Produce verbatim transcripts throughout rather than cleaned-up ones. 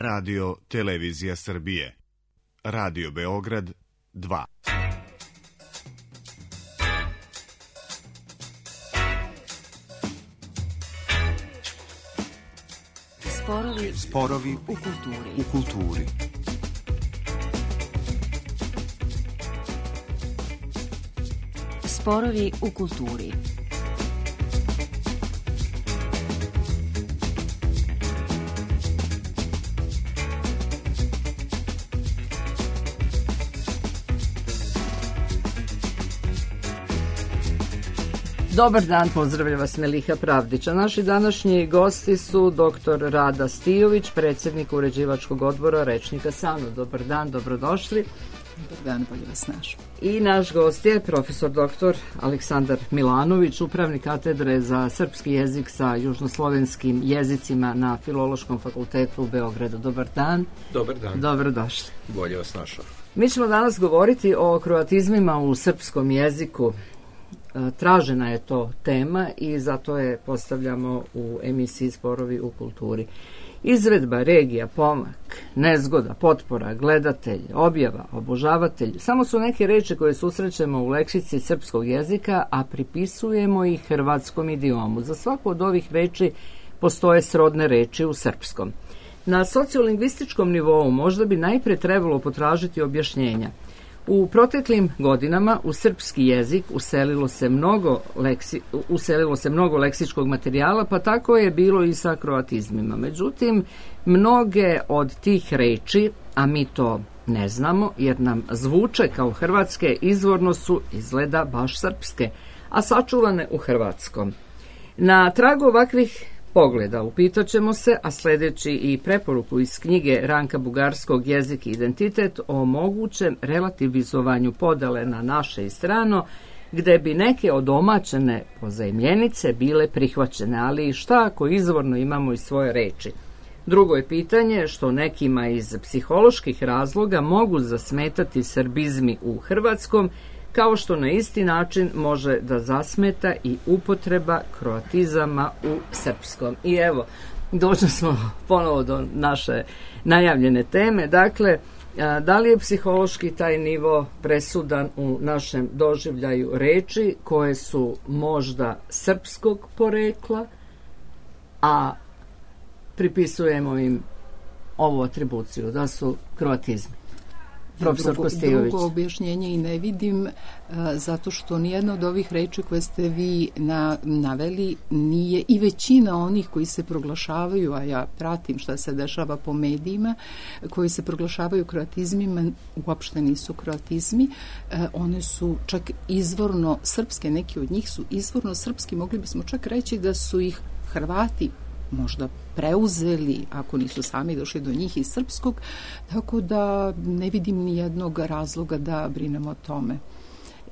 Radio Televizija Srbije. Radio Beograd dva. Sporovi, Sporovi u kulturi. u kulturi. Sporovi u kulturi. Dobar dan, pozdravlja vas Meliha Pravdića. Naši današnji gosti su doktor Rada Stijović, predsjednik uređivačkog odbora Rečnika SANU. Dobar dan, dobrodošli. Dobar dan, bolje vas naš. I naš gost je profesor doktor Aleksandar Milanović, upravnik katedre za srpski jezik sa južnoslovenskim jezicima na Filološkom fakultetu u Beogradu. Dobar dan. Dobar dan. Dobrodošli. Bolje vas našao. Mi ćemo danas govoriti o kroatizmima u srpskom jeziku. Tražena je to tema i zato je postavljamo u emisiji Sporovi u kulturi. Izvedba, regija, pomak, nezgoda, potpora, gledatelj, objava, obožavatelj, samo su neke reči koje susrećemo u leksici srpskog jezika, a pripisujemo ih hrvatskom idiomu. Za svaku od ovih reči postoje srodne reči u srpskom. Na sociolingvističkom nivou možda bi najpre trebalo potražiti objašnjenja. U proteklim godinama u srpski jezik uselilo se mnogo, leksi, uselilo se mnogo leksičkog materijala, pa tako je bilo i sa kroatizmima. Međutim, mnoge od tih reči, a mi to ne znamo jer nam zvuče kao hrvatske, izvorno su izgleda baš srpske, a sačuvane u hrvatskom. Na tragu ovakvih pogleda upitat ćemo se, a sljedeći i preporuku iz knjige Ranka Bugarskog Jezik i identitet o mogućem relativizovanju podele na naše i strano, gde bi neke odomaćene pozajmljenice bile prihvaćene, ali i šta ako izvorno imamo i svoje reči. Drugo je pitanje što nekima iz psiholoških razloga mogu zasmetati srbizmi u hrvatskom, kao što na isti način može da zasmeta i upotreba kroatizama u srpskom. I evo, došli smo ponovo do naše najavljene teme. Dakle, da li je psihološki taj nivo presudan u našem doživljaju reči koje su možda srpskog porekla, a pripisujemo im ovu atribuciju, da su kroatizmi? Profesor Drugo, Kostijović. drugo objašnjenje i ne vidim, a, zato što nijedna od ovih reči koje ste vi na, naveli nije, i većina onih koji se proglašavaju, a ja pratim šta se dešava po medijima, koji se proglašavaju kroatizmima, uopšte nisu kroatizmi. A, one su čak izvorno srpske, neki od njih su izvorno srpski, mogli bismo čak reći da su ih Hrvati možda preuzeli, ako nisu sami došli do njih iz srpskog, tako da ne vidim ni jednog razloga da brinemo o tome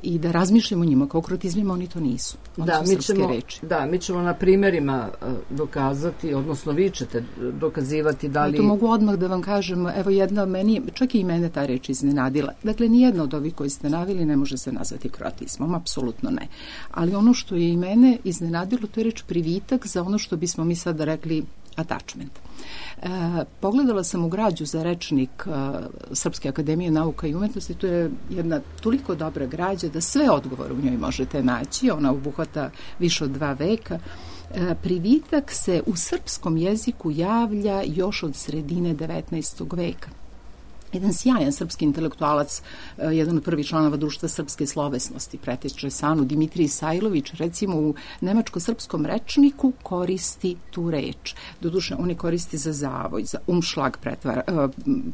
i da razmišljamo o njima. Kao kroatizmima oni to nisu. Oni Da, su mi srpske ćemo, reči. da, mi ćemo na primjerima dokazati, odnosno vi ćete dokazivati da li... To mogu odmah da vam kažem, evo jedna meni, čak i mene ta reč iznenadila. Dakle, nijedna od ovih koji ste naveli ne može se nazvati kroatizmom, apsolutno ne. Ali ono što je i mene iznenadilo, to je reč privitak za ono što bismo mi sada rekli attachment. E, pogledala sam u građu za rečnik e, Srpske akademije nauka i umetnosti, to je jedna toliko dobra građa da sve odgovore u njoj možete naći, ona obuhvata više od dva veka. E, privitak se u srpskom jeziku javlja još od sredine devetnaestog veka. Jedan sjajan srpski intelektualac, jedan od prvih članova društva srpske slovesnosti, preteča SANU, Dimitrij Sajlović, recimo u nemačko-srpskom rečniku koristi tu reč. Doduše, on je koristi za zavoj, za umšlag pretvara,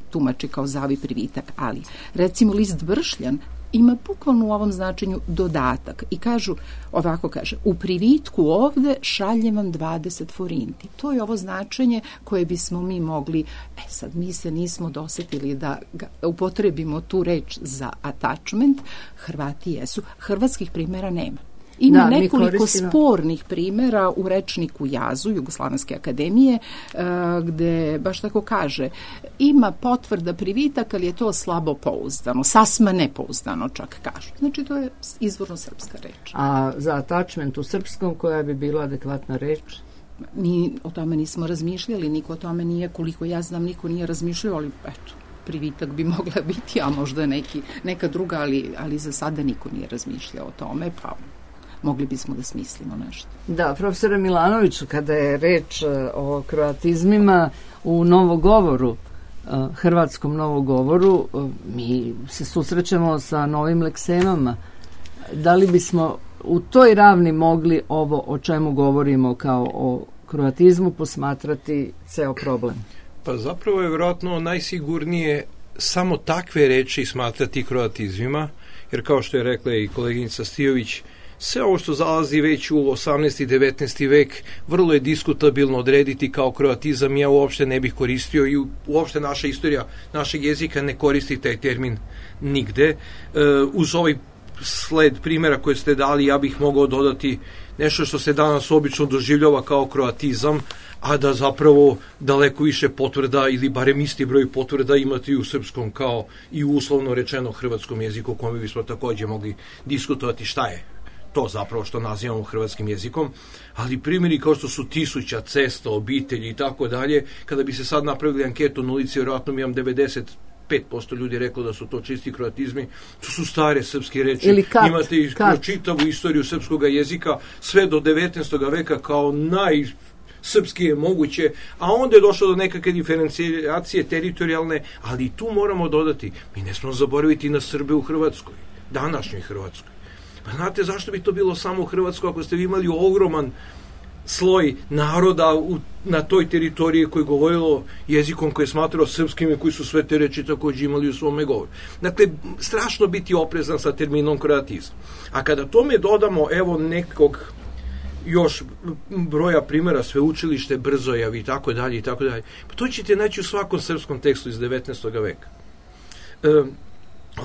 tumači kao zavoj privitak, ali recimo list Bršljan ima bukvalno u ovom značenju dodatak i kažu, ovako kaže, u privitku ovde šaljem vam dvadeset forinti. To je ovo značenje koje bismo mi mogli, e sad mi se nismo dosetili da ga upotrebimo tu reč za attachment, Hrvati jesu. Hrvatskih primjera nema. Ima Da, nekoliko koristimo... spornih primjera u rečniku Jazu, Jugoslovenske akademije, gde baš tako kaže, ima potvrda privitak, ali je to slabo pouzdano, sasma nepouzdano čak kažu. Znači to je izvorno srpska reč. A za attachment u srpskom koja bi bila adekvatna reč? mi o tome nismo razmišljali, niko o tome nije, koliko ja znam, niko nije razmišljao, ali eto, privitak bi mogla biti, a možda neki, neka druga, ali, ali za sada niko nije razmišljao o tome, pa mogli bismo da smislimo nešto. Da, profesore Milanoviću, kada je reč o kroatizmima u novogovoru, hrvatskom novogovoru, mi se susrećemo sa novim leksemama. Da li bismo u toj ravni mogli ovo o čemu govorimo kao o kroatizmu posmatrati ceo problem? Pa zapravo je vjerojatno najsigurnije samo takve reči smatrati kroatizmima, jer kao što je rekla i koleginica Stijović, sve ovo što zalazi već u osamnaesti i devetnaesti vek vrlo je diskutabilno odrediti kao kroatizam. Ja uopšte ne bih koristio i uopšte naša istorija našeg jezika ne koristi taj termin nigde. E, uz ovaj sled primjera koje ste dali, ja bih mogao dodati nešto što se danas obično doživljava kao kroatizam, a da zapravo daleko više potvrda ili barem isti broj potvrda imate i u srpskom kao i u uslovno rečeno hrvatskom jeziku, o kome bismo također mogli diskutovati šta je to zapravo što nazivamo hrvatskim jezikom, ali primjeri kao što su tisuća, cesta, obitelji i tako dalje, kada bi se sad napravili anketu na ulici, vjerojatno mi imam devedeset pet posto ljudi reklo da su to čisti kroatizmi, to su stare srpske reči. Ili kat, imate i čitavu istoriju srpskog jezika sve do devetnaestog veka kao naj srpski moguće, a onda je došlo do nekakve diferencijacije teritorijalne, ali tu moramo dodati, mi ne smemo zaboraviti na Srbe u Hrvatskoj, današnjoj Hrvatskoj. Pa znate zašto bi to bilo samo u Hrvatskoj ako ste vi imali ogroman sloj naroda u, na toj teritoriji koji je govorilo jezikom koji je smatrao srpskim i koji su sve te reči također imali u svome govoru. Dakle, strašno biti oprezan sa terminom kroatizam. A kada tome dodamo evo nekog još broja primjera, sveučilište, Brzojav i tako dalje i tako dalje, pa to ćete naći u svakom srpskom tekstu iz devetnaestog veka. E,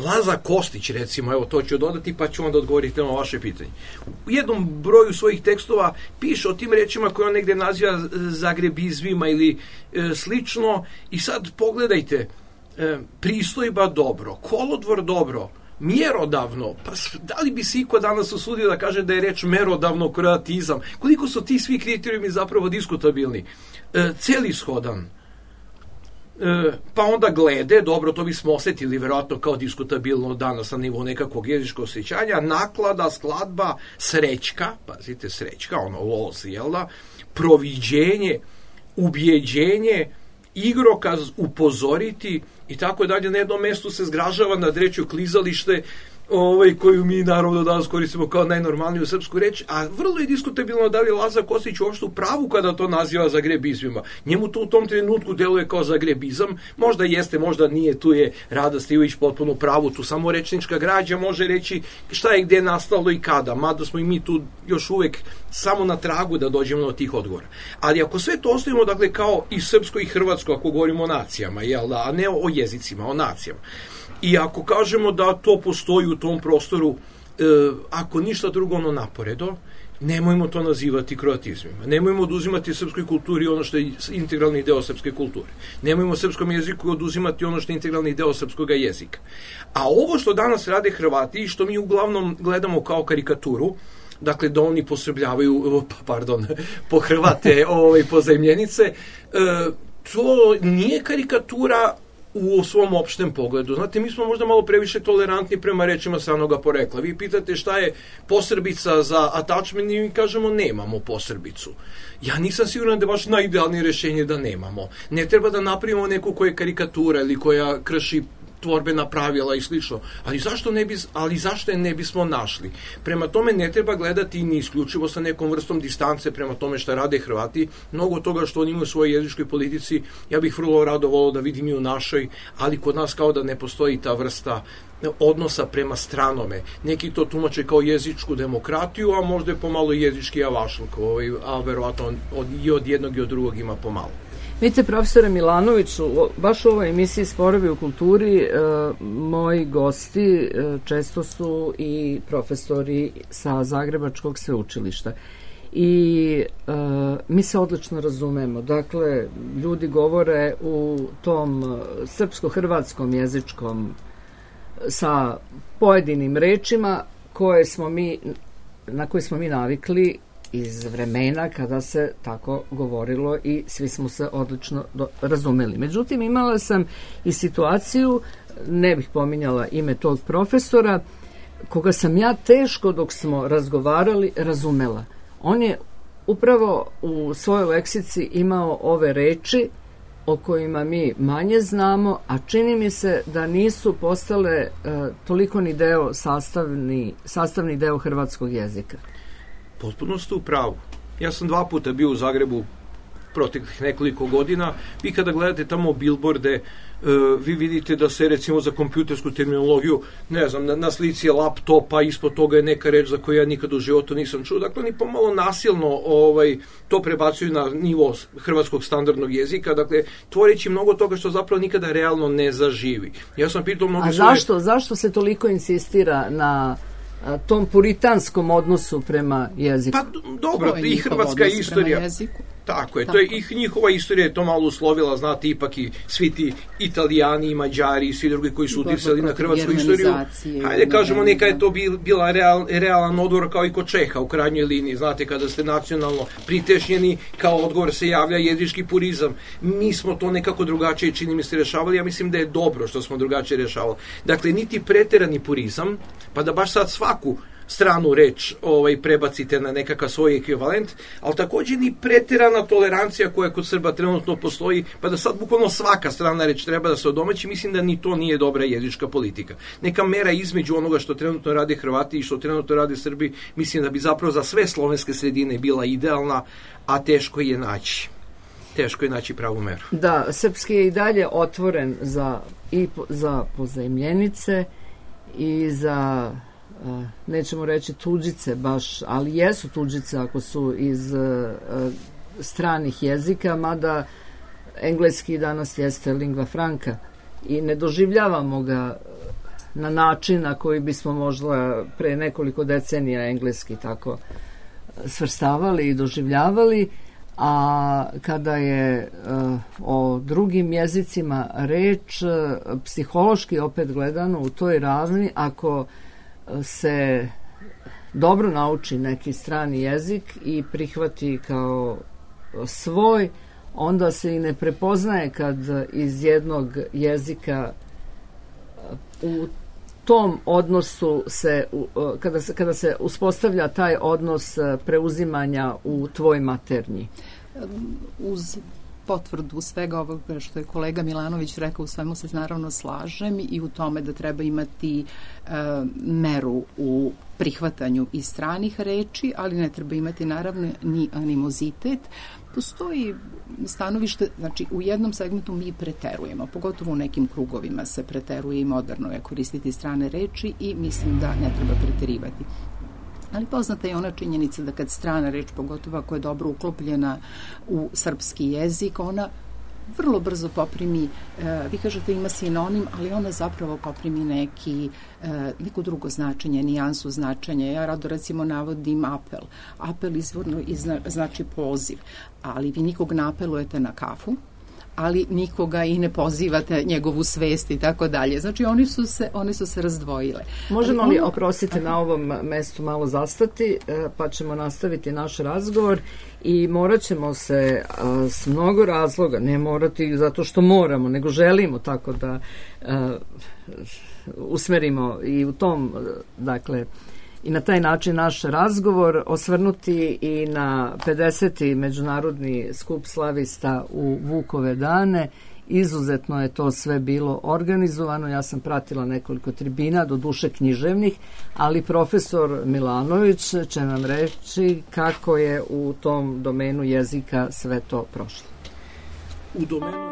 Laza Kostić, recimo, evo to ću dodati pa ću onda odgovoriti na vaše pitanje. U jednom broju svojih tekstova piše o tim rečima koje on negde naziva zagrebizmima ili e, slično, i sad pogledajte, e, pristojba dobro, kolodvor dobro, mjerodavno, pa da li bi se iko danas usudio da kaže da je reč merodavno kroatizam? Koliko su ti svi kriterijumi zapravo diskutabilni? E, celishodan, e, pa onda glede, dobro, to bismo osjetili vjerojatno kao diskutabilno danas na nivou nekakvog jezičkog osjećanja, naklada, skladba, srećka, pazite, srećka, ono los, jel da, proviđenje, ubjeđenje, igrokaz, upozoriti i tako dalje. Na jednom mjestu se zgražava nad rečju klizalište, ovaj, koju mi naravno danas koristimo kao najnormalniju srpsku reč, a vrlo je diskutabilno da li Laza Kostić uopšte u pravu kada to naziva zagrebizmima. Njemu to u tom trenutku deluje kao zagrebizam, možda jeste, možda nije, tu je Rada Stijović potpuno u pravu, tu samo rečnička građa može reći šta je gde nastalo i kada, mada smo i mi tu još uvek samo na tragu da dođemo do tih odgovora. Ali ako sve to ostavimo, dakle, kao i srpsko i hrvatsko, ako govorimo o nacijama, jel da, a ne o jezicima, o nacijama, i ako kažemo da to postoji u tom prostoru, e, ako ništa drugo ono naporedo, nemojmo to nazivati kroatizmima. Nemojmo oduzimati srpskoj kulturi ono što je integralni deo srpske kulture. Nemojmo srpskom jeziku oduzimati ono što je integralni deo srpskog jezika. A ovo što danas rade Hrvati i što mi uglavnom gledamo kao karikaturu, dakle da oni posrbljavaju, pardon, pohrvate ovaj, pozajmljenice, e, to nije karikatura u svom opštem pogledu. Znate, mi smo možda malo previše tolerantni prema rečima stranoga porekla. Vi pitate šta je posrbica za attachment i mi kažemo nemamo posrbicu. Ja nisam siguran da je baš najidealnije rješenje da nemamo. Ne treba da napravimo neku koja je karikatura ili koja krši tvorbena pravila i slično. Ali zašto ne bi, ali zašto je ne bismo našli? Prema tome ne treba gledati ni isključivo sa nekom vrstom distance prema tome šta rade Hrvati. Mnogo toga što oni imaju u svojoj jezičkoj politici, ja bih vrlo rado volio da vidim i u našoj, ali kod nas kao da ne postoji ta vrsta odnosa prema stranome. Neki to tumače kao jezičku demokratiju, a možda je pomalo jezički avašluk, ovaj, a verovatno od, i od jednog i od drugog ima pomalo. Vidite, profesore Milanoviću, baš u ovoj emisiji Sporovi u kulturi, e, moji gosti e, često su i profesori sa Zagrebačkog sveučilišta. I e, mi se odlično razumemo. Dakle, ljudi govore u tom srpsko-hrvatskom jezičkom sa pojedinim rečima koje smo mi, na koje smo mi navikli iz vremena kada se tako govorilo i svi smo se odlično do, razumeli. Međutim, imala sam i situaciju, ne bih pominjala ime tog profesora, koga sam ja teško dok smo razgovarali razumela. On je upravo u svojoj leksici imao ove reči o kojima mi manje znamo, a čini mi se da nisu postale e, toliko ni deo sastavni, sastavni deo hrvatskog jezika. Potpuno ste u pravu. Ja sam dva puta bio u Zagrebu proteklih nekoliko godina. Vi kada gledate tamo bilborde, e, vi vidite da se recimo za kompjutersku terminologiju, ne znam, na, na slici je laptopa, ispod toga je neka reč za koju ja nikad u životu nisam čuo. Dakle, ni pomalo nasilno ovaj, to prebacuju na nivo hrvatskog standardnog jezika. Dakle, tvoreći mnogo toga što zapravo nikada realno ne zaživi. Ja sam pitao mnogo... A zašto, svoje... zašto se toliko insistira na a, tom puritanskom odnosu prema jeziku? Pa dobro, i hrvatska istorija... Tako je, Tako. to je i njihova istorija je to malo uslovila, znate, ipak i svi ti Italijani i Mađari i svi drugi koji su uticali na hrvatsku istoriju. Hajde kažemo, neka je to bil, bila real, realan odgovor kao i kod Čeha u krajnjoj liniji, znate, kada ste nacionalno pritešnjeni, kao odgovor se javlja jezički purizam. Mi smo to nekako drugačije, čini mi se, rešavali, ja mislim da je dobro što smo drugačije rešavali. Dakle, niti preterani purizam, pa da baš sad svaku stranu reč ovaj, prebacite na nekakav svoj ekvivalent, ali također ni preterana tolerancija koja kod Srba trenutno postoji, pa da sad bukvalno svaka strana reč treba da se odomaći, mislim da ni to nije dobra jezička politika. Neka mera između onoga što trenutno rade Hrvati i što trenutno rade Srbi, mislim da bi zapravo za sve slovenske sredine bila idealna, a teško je naći. Teško je naći pravu meru. Da, srpski je i dalje otvoren za, i po, za pozajmljenice i za... Uh, nećemo reći tuđice baš, ali jesu tuđice ako su iz uh, stranih jezika, mada engleski danas jeste lingva franca i ne doživljavamo ga na način na koji bismo možda pre nekoliko decenija engleski tako svrstavali i doživljavali, a kada je uh, o drugim jezicima reč, uh, psihološki opet gledano u toj ravni, ako se dobro nauči neki strani jezik i prihvati kao svoj, onda se i ne prepoznaje kad iz jednog jezika u tom odnosu se, kada se, kada se uspostavlja taj odnos preuzimanja u tvoj maternji. Uz potvrdu svega ovoga što je kolega Milanović rekao, u svemu se naravno slažem i u tome da treba imati e, meru u prihvatanju i stranih reči, ali ne treba imati naravno ni animozitet. Postoji stanovište, znači u jednom segmentu mi preterujemo, pogotovo u nekim krugovima se preteruje i moderno je koristiti strane reči i mislim da ne treba preterivati. Ali poznata je ona činjenica da kad strana reč, pogotovo ako je dobro uklopljena u srpski jezik, ona vrlo brzo poprimi, e, vi kažete ima sinonim, ali ona zapravo poprimi neki, e, neko drugo značenje, nijansu značenja. Ja rado recimo navodim apel. Apel izvorno izna, znači poziv, ali vi nikog ne apelujete na kafu, ali nikoga i ne pozivate njegovu svest i tako dalje. Znači, oni su se, oni su se razdvojile. Možemo li, oprostite, na ovom mestu malo zastati, pa ćemo nastaviti naš razgovor i morat ćemo se a, s mnogo razloga, ne morati zato što moramo, nego želimo tako da a, usmerimo i u tom, dakle, i na taj način naš razgovor, osvrnuti i na pedeseti međunarodni skup slavista u Vukove dane. Izuzetno je to sve bilo organizovano. Ja sam pratila nekoliko tribina, do duše književnih, ali profesor Milanović će nam reći kako je u tom domenu jezika sve to prošlo. U domenu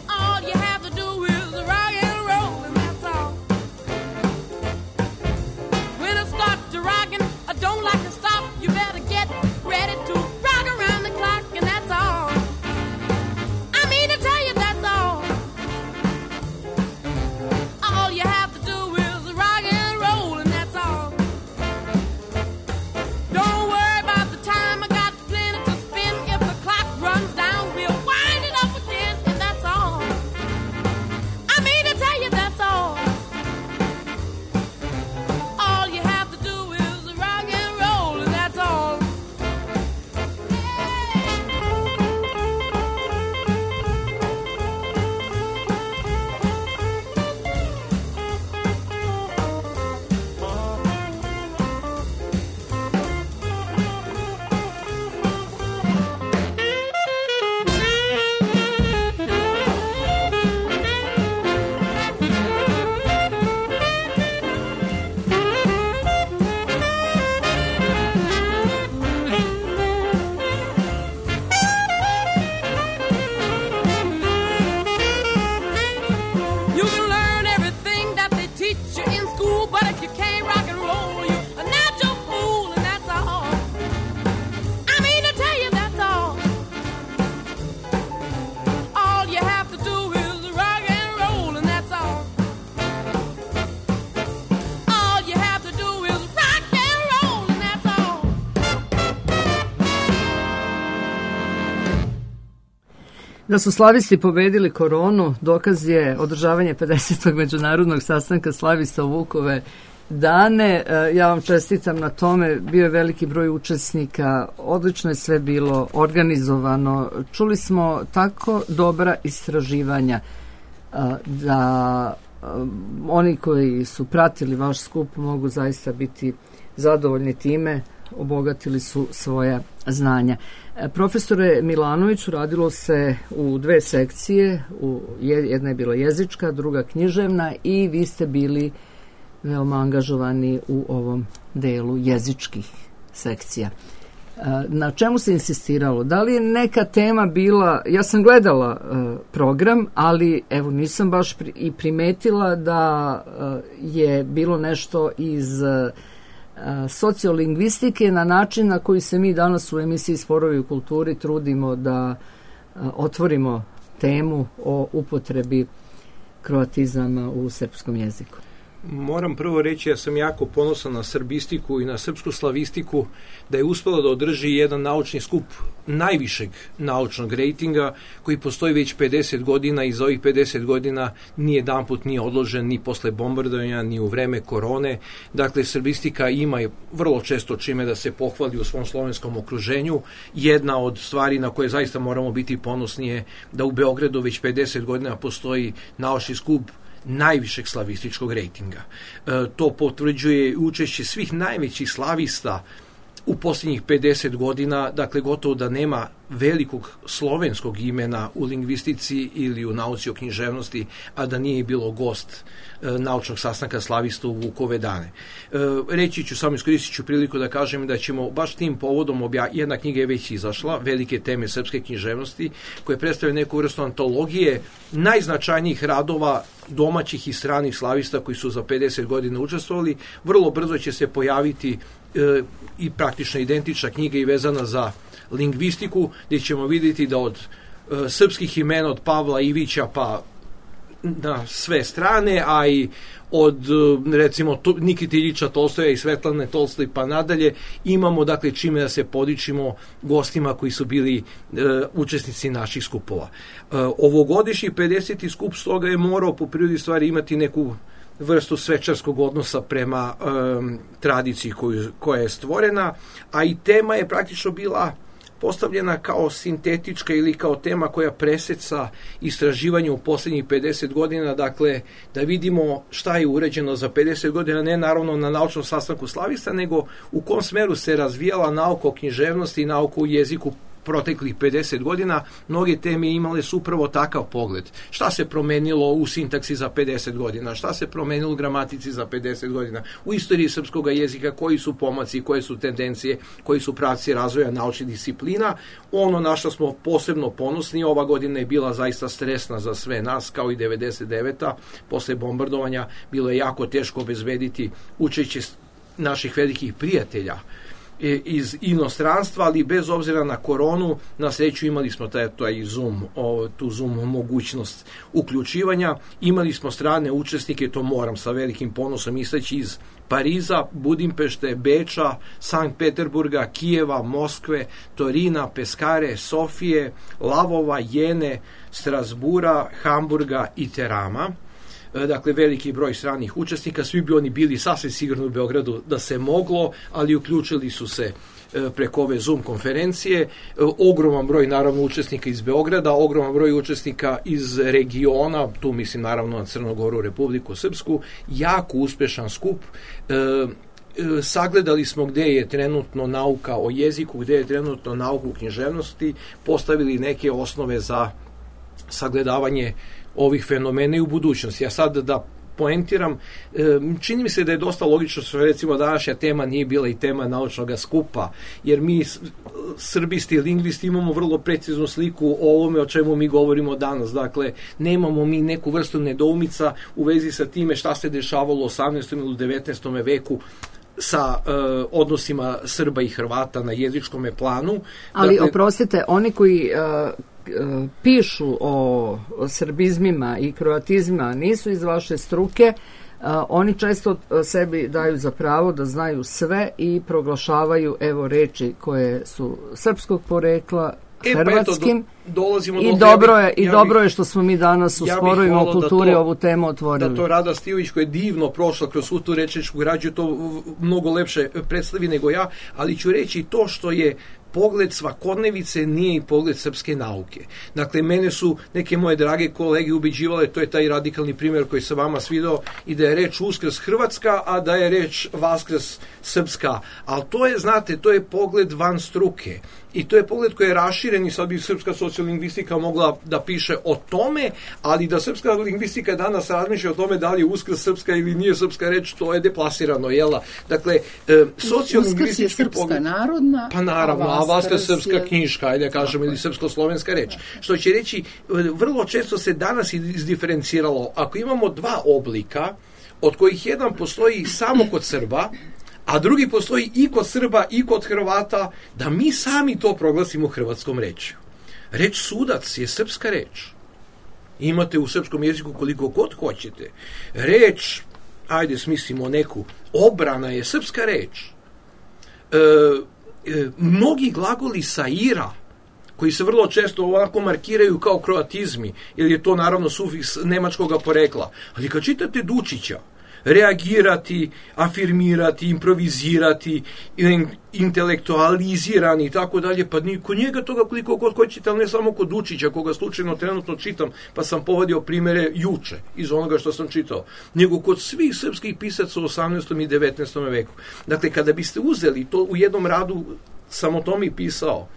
All you have to do Da su slavisti pobedili koronu, dokaz je održavanje pedesetog međunarodnog sastanka slavista u Vukove dane. Ja vam čestitam na tome, bio je veliki broj učesnika, odlično je sve bilo organizovano. Čuli smo tako dobra istraživanja da oni koji su pratili vaš skup mogu zaista biti zadovoljni time, obogatili su svoja znanja. Profesore Milanoviću, radilo se u dve sekcije, u, jedna je bila jezička, druga književna i vi ste bili veoma angažovani u ovom delu jezičkih sekcija. Na čemu se insistiralo? Da li je neka tema bila, ja sam gledala uh, program, ali evo nisam baš pri, i primetila da uh, je bilo nešto iz uh, sociolingvistike na način na koji se mi danas u emisiji Sporovi u kulturi trudimo da uh, otvorimo temu o upotrebi kroatizama u srpskom jeziku. Moram prvo reći, ja sam jako ponosan na srbistiku i na srpsku slavistiku, da je uspela da održi jedan naučni skup najvišeg naučnog rejtinga koji postoji već pedeset godina i za ovih pedeset godina ni jedan put nije odložen ni posle bombardovanja, ni u vreme korone. Dakle, srbistika ima vrlo često čime da se pohvali u svom slovenskom okruženju. Jedna od stvari na koje zaista moramo biti ponosni je da u Beogradu već pedeset godina postoji naučni skup najvišeg slavističkog rejtinga. E, to potvrđuje učešće svih najvećih slavista u posljednjih pedeset godina, dakle gotovo da nema velikog slovenskog imena u lingvistici ili u nauci o književnosti, a da nije bilo gost e, naučnog sastanka slavista u Vukove dane. E, reći ću, samo iskoristit ću priliku da kažem da ćemo baš tim povodom, obja... jedna knjiga je već izašla, Velike teme srpske književnosti, koje predstavlja neku vrstu antologije najznačajnijih radova domaćih i stranih slavista koji su za pedeset godina učestvovali. Vrlo brzo će se pojaviti e, i praktično identična knjiga i vezana za lingvistiku, gdje ćemo vidjeti da od e, srpskih imena, od Pavla Ivića pa na sve strane, a i od recimo Nikite Iljiča Tolstoja i Svetlane Tolstoj pa nadalje, imamo dakle čime da se podičimo gostima koji su bili e, učesnici naših skupova. E, ovogodišnji pedeseti skup stoga je morao po prirodi stvari imati neku vrstu svečarskog odnosa prema e, tradiciji koju, koja je stvorena, a i tema je praktično bila postavljena kao sintetička ili kao tema koja preseca istraživanje u posljednjih pedeset godina, dakle da vidimo šta je uređeno za pedeset godina, ne naravno na naučnom sastanku slavista, nego u kom smeru se razvijala nauka o književnosti i nauka o jeziku proteklih pedeset godina. Mnoge teme imale su upravo takav pogled. Šta se promenilo u sintaksi za pedeset godina, šta se promenilo u gramatici za pedeset godina, u istoriji srpskog jezika, koji su pomaci, koje su tendencije, koji su pravci razvoja naučnih disciplina. Ono na što smo posebno ponosni, ova godina je bila zaista stresna za sve nas, kao i devedeset deveta posle bombardovanja, bilo je jako teško obezbediti učešće naših velikih prijatelja iz inostranstva, ali bez obzira na koronu, na sreću imali smo taj, taj Zoom, o, tu Zoom mogućnost uključivanja. Imali smo strane učesnike, to moram sa velikim ponosom istaći, iz Pariza, Budimpešte, Beča, Sankt Peterburga, Kijeva, Moskve, Torina, Peskare, Sofije, Lavova, Jene, Strasbura, Hamburga i Terama. Dakle, veliki broj stranih učesnika, svi bi oni bili sasvim sigurno u Beogradu da se moglo, ali uključili su se preko ove Zoom konferencije. Ogroman broj naravno učesnika iz Beograda, ogroman broj učesnika iz regiona, tu mislim naravno na Crnogoru, Republiku Srpsku, jako uspešan skup. E, sagledali smo gde je trenutno nauka o jeziku, gde je trenutno nauka u književnosti, postavili neke osnove za sagledavanje ovih fenomena i u budućnosti. Ja sad da poentiram, čini mi se da je dosta logično što recimo današnja tema nije bila i tema naučnog skupa, jer mi srbisti i lingvisti imamo vrlo preciznu sliku o ovome o čemu mi govorimo danas. Dakle, nemamo mi neku vrstu nedoumica u vezi sa time šta se dešavalo u osamnaestom ili devetnaestom veku sa uh, odnosima Srba i Hrvata na jezičkom planu. Ali dakle, oprostite, oni koji uh, uh, pišu o, o srbizmima i kroatizmima nisu iz vaše struke, uh, oni često sebi daju za pravo da znaju sve i proglašavaju evo reči koje su srpskog porekla, E, hrvatskim. Pa eto, do, dolazimo I do dobro je, ja i ja dobro bih, je što smo mi danas u ja sporovima o kulturi to, ovu temu otvorili. Da to Rada Stijović, koja je divno prošla kroz svu tu rečničku građu, to mnogo lepše predstavi nego ja, ali ću reći to što je pogled svakodnevice nije i pogled srpske nauke. Dakle, mene su neke moje drage kolege ubeđivale, to je taj radikalni primjer koji sam vama svidao, i da je reč Uskrs hrvatska, a da je reč Vaskrs srpska. Ali to je, znate, to je pogled van struke. I to je pogled koji je raširen i sad bi srpska sociolingvistika mogla da piše o tome, ali da srpska lingvistika danas razmišlja o tome da li je Uskrs srpska ili nije srpska reč, to je deplasirano, jela? Dakle, e, sociolingvistički Uskrs je srpska pogled, narodna, pa naravno, a Vaskrs je srpska je... knjiška, ajde kažemo, ili srpsko-slovenska reč. Što će reći, vrlo često se danas izdiferenciralo, ako imamo dva oblika, od kojih jedan postoji samo kod Srba, a drugi postoji i kod Srba i kod Hrvata, da mi sami to proglasimo hrvatskom rečju. Reč sudac je srpska reč. Imate u srpskom jeziku koliko god hoćete. Reč, ajde smislimo neku, obrana je srpska reč. E, e, mnogi glagoli saira, koji se vrlo često ovako markiraju kao kroatizmi, jer je to naravno sufiks nemačkog porekla. Ali kad čitate Dučića, reagirati, afirmirati, improvizirati, intelektualizirani i tako dalje, pa kod njega toga koliko god hoćete, ali ne samo kod Dučića, koga slučajno trenutno čitam, pa sam povadio primere juče iz onoga što sam čitao, nego kod svih srpskih pisaca u osamnaestom i devetnaestom veku. Dakle, kada biste uzeli to u jednom radu, sam o tome i pisao,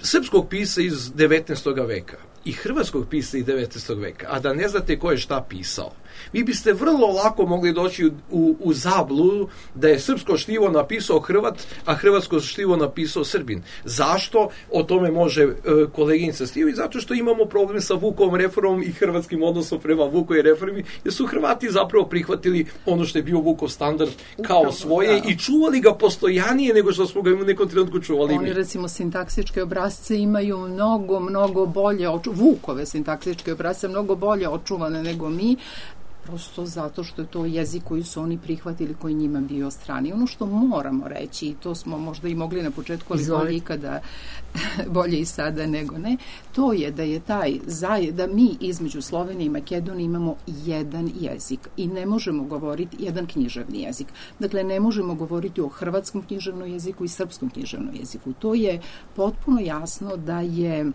srpskog pisa iz devetnaestog veka i hrvatskog pisa iz devetnaestog veka, a da ne znate ko je šta pisao, vi biste vrlo lako mogli doći u, u, u zabludu da je srpsko štivo napisao Hrvat, a hrvatsko štivo napisao Srbin. Zašto? O tome može e, koleginica Stijović, zato što imamo problem sa Vukovom reformom i hrvatskim odnosom prema Vukovoj reformi, jer su Hrvati zapravo prihvatili ono što je bio Vukov standard kao Upravo, svoje da. I čuvali ga postojanije nego što smo ga u nekom trenutku čuvali. Oni, mi. recimo, sintaksičke obrazce imaju mnogo, mnogo bolje, oču... Vukove sintaksičke obrazce mnogo bolje očuvane nego mi, prosto zato što je to jezik koji su oni prihvatili, koji njima bio strani. Ono što moramo reći, i to smo možda i mogli na početku, ali bolje ikada, bolje i sada nego ne, to je da je taj, da mi između Slovenije i Makedonije imamo jedan jezik i ne možemo govoriti jedan književni jezik. Dakle, ne možemo govoriti o hrvatskom književnom jeziku i srpskom književnom jeziku. To je potpuno jasno da je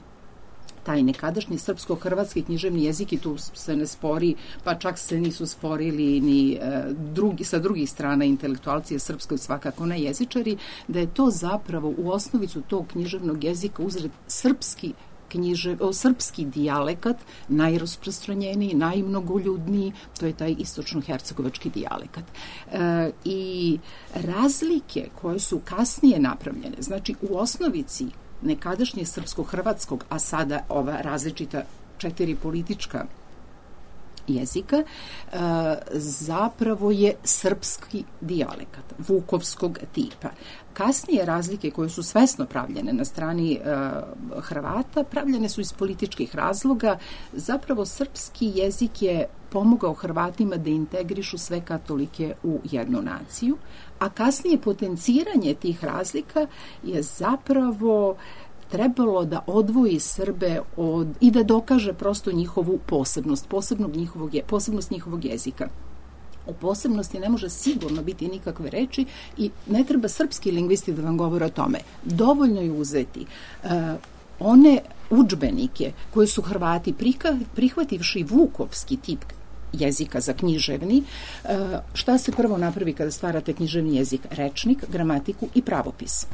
taj nekadašnji srpsko-hrvatski književni jezik, i tu se ne spori, pa čak se nisu sporili ni e, drugi, sa drugih strana intelektualci srpskoj, svakako ne jezičari, da je to zapravo u osnovicu tog književnog jezika uzred srpski knjiže, o, srpski dijalekat, najrasprostranjeniji, najmnogoljudniji, to je taj istočno-hercegovački dijalekat. E, I razlike koje su kasnije napravljene, znači u osnovici nekadašnjeg srpsko-hrvatskog, a sada ova različita četiri politička jezika, e, zapravo je srpski dijalekat, vukovskog tipa. Kasnije razlike koje su svesno pravljene na strani e, Hrvata, pravljene su iz političkih razloga. Zapravo srpski jezik je pomogao Hrvatima da integrišu sve katolike u jednu naciju, a kasnije potenciranje tih razlika je zapravo trebalo da odvoji Srbe od, i da dokaže prosto njihovu posebnost, posebnog njihovog, posebnost njihovog jezika. O posebnosti ne može sigurno biti nikakve reči i ne treba srpski lingvisti da vam govore o tome. Dovoljno je uzeti uh, one udžbenike koje su Hrvati prihvativši vukovski tip jezika za književni. Šta se prvo napravi kada stvarate književni jezik? Rečnik, gramatiku i pravopis.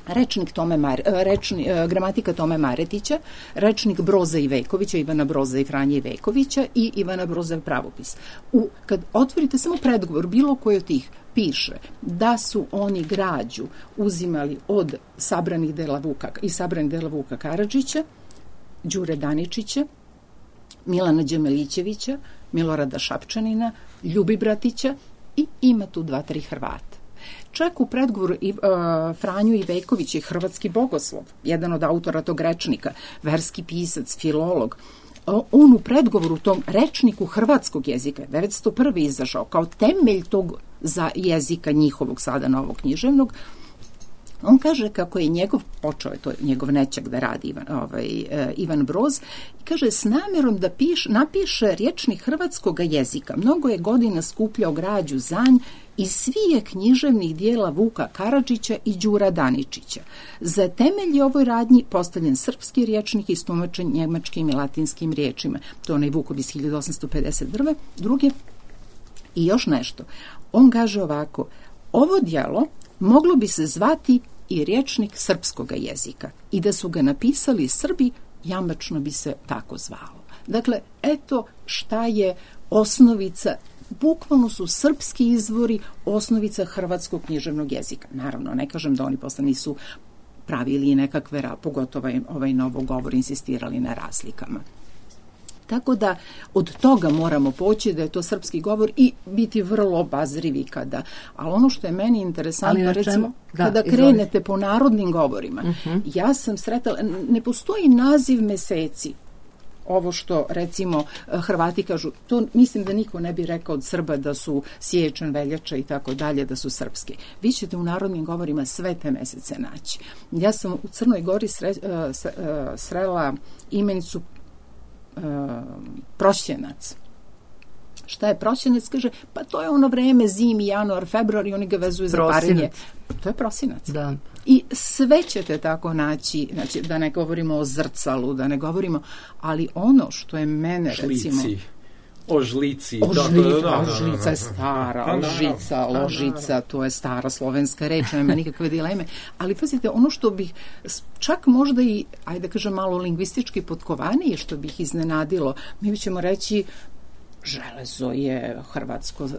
Rečnik Tome Mar, rečni, gramatika Tome Maretića, rečnik Broza i Vekovića, Ivana Broza i Franje Vekovića i Ivana Broza pravopis. U, kad otvorite samo predgovor, bilo koji od tih piše da su oni građu uzimali od sabranih dela Vuka i sabranih dela Vuka Karadžića, Đure Daničića, Milana Đemelićevića, Milorada Šapčanina, Ljubibratića i ima tu dva, tri Hrvata. Čak u predgovoru i, uh, Franju Iveković je hrvatski bogoslov, jedan od autora tog rečnika, verski pisac, filolog. On u predgovoru tom rečniku hrvatskog jezika devetsto prve izašao kao temelj tog za jezika njihovog sada novog književnog, On kaže kako je njegov, počeo je to njegov nećak da radi Ivan, ovaj, e, Ivan Broz, i kaže s namjerom da piš, napiše rječnik hrvatskog jezika. Mnogo je godina skupljao građu zanj iz svije književnih dijela Vuka Karadžića i Đura Daničića. Za temelj je ovoj radnji postavljen srpski rječnik istumačen njemačkim i latinskim riječima. To je onaj Vukov iz hiljadu osamsto pedeset druge. I još nešto. On kaže ovako, ovo djelo moglo bi se zvati i rječnik srpskog jezika i da su ga napisali Srbi, jamačno bi se tako zvalo. Dakle, eto šta je osnovica, bukvalno su srpski izvori osnovica hrvatskog književnog jezika. Naravno, ne kažem da oni posle nisu pravili nekakve, pogotovo ovaj novogovor, insistirali na razlikama. Tako da od toga moramo poći da je to srpski govor i biti vrlo obazrivi kada. Ali ono što je meni interesantno, recimo, da, kada krenete izvolite. Po narodnim govorima, uh-huh. ja sam sretala, ne postoji naziv meseci. Ovo što, recimo, Hrvati kažu, to mislim da niko ne bi rekao od Srba da su siječanj, veljača i tako dalje, da su srpski. Vi ćete u narodnim govorima sve te mesece naći. Ja sam u Crnoj Gori sre, srela imenicu Uh, prosjenac. Šta je prosjenac? Kaže, pa to je ono vreme, zimi, januar, februar i oni ga vezuju za parenje. To je prosinac. Da. I sve ćete tako naći, znači, da ne govorimo o zrcalu, da ne govorimo, ali ono što je mene, Šlici. recimo... O žlici. Ožlica, ožlica je stara, ožica, ložica, to je stara slovenska reč, nema nikakve dileme. Ali pazite, ono što bih čak možda i, ajde kažem, malo lingvistički potkovanije, što bih iznenadilo, mi ćemo reći železo je hrvatsko, uh,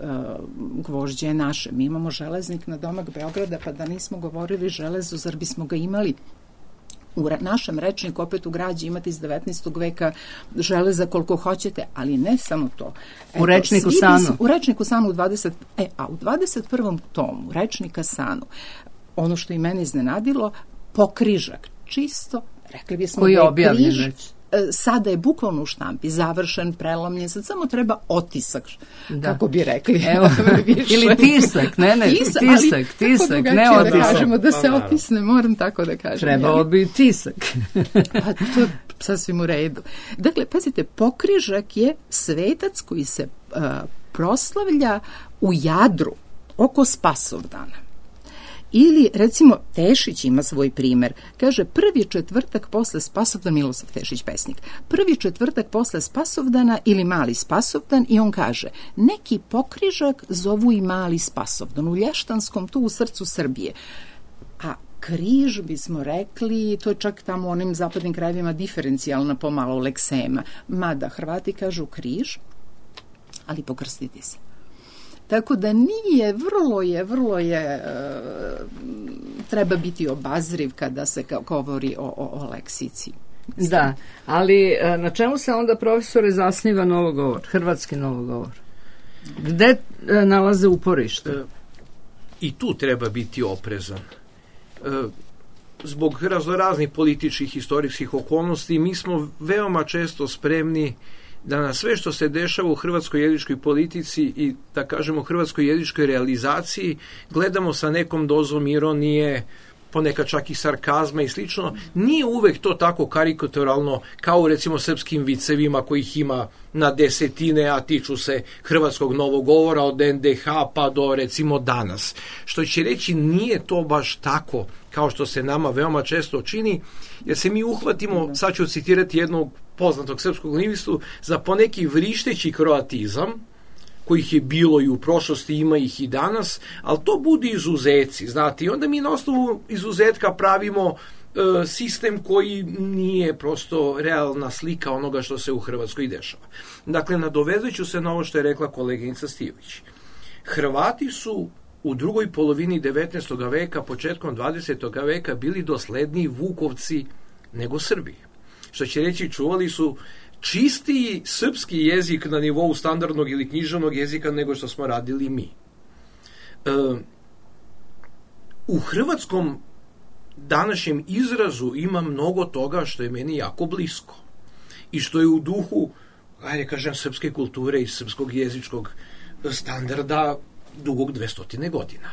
gvožđe je naše. Mi imamo železnik na domak Beograda, pa da nismo govorili železo, zar bismo ga imali? U našem rečniku, opet u građi, imate iz devetnaestog veka železa koliko hoćete, ali ne samo to. Eto, u rečniku Sanu. Bi, u rečniku Sanu u dvadeset E, a u dvadeset prvom tomu rečnika Sanu, ono što i mene iznenadilo, pokrižak, čisto, rekli bismo koji je da je objavljen križ, već. Sada je bukvalno u štampi, završen, prelomljen, sad samo treba otisak, da. kako bi rekli. Evo, ili tisak, ne, ne, tisak, tisak, tisak, ne otisak. Da kažemo da se otisne, moram tako da kažem. Trebalo bi tisak. Pa to je sasvim u redu. Dakle, pazite, pokrižak je svetac koji se uh, proslavlja u Jadru oko Spasovdana. Ili, recimo, Tešić ima svoj primer. Kaže, prvi četvrtak posle Spasovdana, Milosav Tešić, pesnik, prvi četvrtak posle Spasovdana ili mali Spasovdan, i on kaže, neki pokrižak zovu i mali Spasovdan, u Lještanskom, tu u srcu Srbije. A križ, bismo rekli, to je čak tamo u onim zapadnim krajevima diferencijalna pomalo leksema. Mada Hrvati kažu križ, ali pokrstiti se. Tako da nije, vrlo je, vrlo je, e, treba biti obazriv kada se govori o, o, o leksici. Da, ali na čemu se onda, profesore, zasniva novogovor, hrvatski novogovor? Gde e, nalaze uporište? E, I tu treba biti oprezan. E, zbog raznoraznih političkih, historijskih okolnosti mi smo veoma često spremni da na sve što se dešava u hrvatskoj jezičkoj politici i, da kažemo, hrvatskoj jezičkoj realizaciji gledamo sa nekom dozom ironije, ponekad čak i sarkazma i slično. Nije uvek to tako karikaturalno kao u, recimo, srpskim vicevima kojih ima na desetine, a tiču se hrvatskog novogovora od en de ha pa do, recimo, danas. Što će reći, nije to baš tako kao što se nama veoma često čini, jer se mi uhvatimo, sad ću citirati jednog poznatog srpskog lingvistu, za poneki vrišteći kroatizam, kojih je bilo i u prošlosti, ima ih i danas, ali to budu izuzeci, znate, i onda mi na osnovu izuzetka pravimo e, sistem koji nije prosto realna slika onoga što se u Hrvatskoj dešava. Dakle, nadovezujući se na ovo što je rekla koleginica Stijović. Hrvati su u drugoj polovini devetnaestog veka, početkom dvadesetog veka bili dosledniji Vukovci nego Srbi. Što će reći, čuvali su čistiji srpski jezik na nivou standardnog ili književnog jezika nego što smo radili mi. E, u hrvatskom današnjem izrazu ima mnogo toga što je meni jako blisko i što je u duhu, ajde kažem, srpske kulture i srpskog jezičkog standarda dugog dvestotine godina.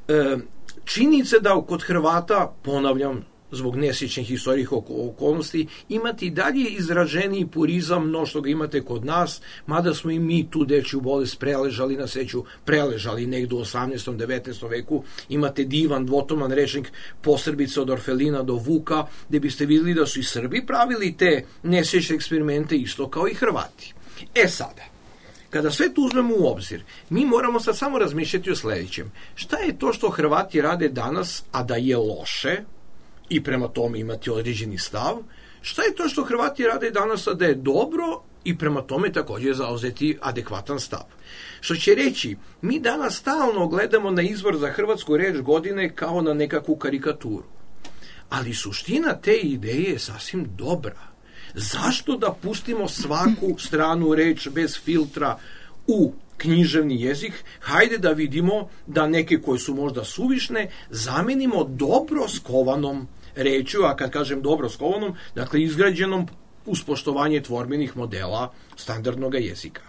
E, činjenica da kod Hrvata, ponavljam, zbog nesjećnih istorijih okolnosti, imate i dalje izraženiji purizam no što ga imate kod nas, mada smo i mi tu dečju bolest preležali, na sreću preležali negdje u osamnaestom devetnaestom veku. Imate divan dvotoman rečnik Posrbice od Orfelina do Vuka, gde biste vidjeli da su i Srbi pravili te nesjećne eksperimente isto kao i Hrvati. E sada, kada sve to uzmemo u obzir, mi moramo sad samo razmišljati o sljedećem. Šta je to što Hrvati rade danas, a da je loše, i prema tome imati određeni stav? Šta je to što Hrvati rade danas, a da je dobro, i prema tome također zauzeti adekvatan stav? Što će reći, mi danas stalno gledamo na izbor za hrvatsku reč godine kao na nekakvu karikaturu. Ali suština te ideje je sasvim dobra. Zašto da pustimo svaku stranu reč bez filtra u književni jezik? Hajde da vidimo da neke koje su možda suvišne zamenimo dobro skovanom rečju, a kad kažem dobro skovanom, dakle izgrađenom uz poštovanje tvorbenih modela standardnog jezika.